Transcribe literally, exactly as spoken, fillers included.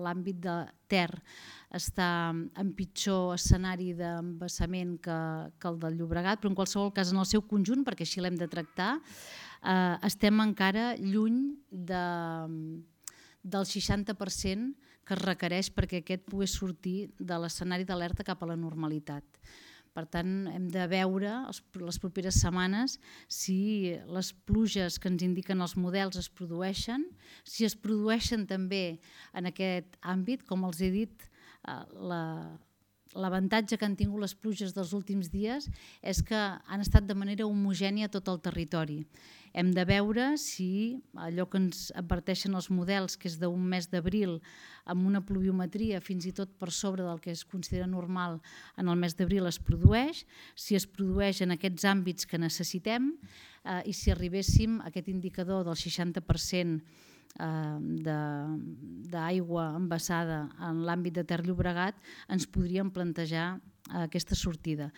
l'àmbit de Ter està en pitjor escenari d'embassament que, que el del Llobregat, però en qualsevol cas en el seu conjunt, perquè així l'hem de tractar, eh, estem encara lluny de, del seixanta per cent que es requereix perquè aquest pogués sortir de l'escenari d'alerta cap a la normalitat. Per tant, hem de veure les properes setmanes si les pluges que ens indiquen els models es produeixen, si es produeixen també en aquest àmbit, com els he dit, l'avantatge que han tingut les pluges dels últims dies és que han estat de manera homogènia a tot el territori. Hem de veure si allò que ens adverteixen els models, que és d'un mes d'abril, amb una pluviometria fins i tot per sobre del que es considera normal en el mes d'abril, es produeix, si es produeix en aquests àmbits que necessitem eh, i si arribéssim a aquest indicador del seixanta per cent d'aigua embassada en l'àmbit de Ter Llobregat, ens podríem plantejar aquesta sortida.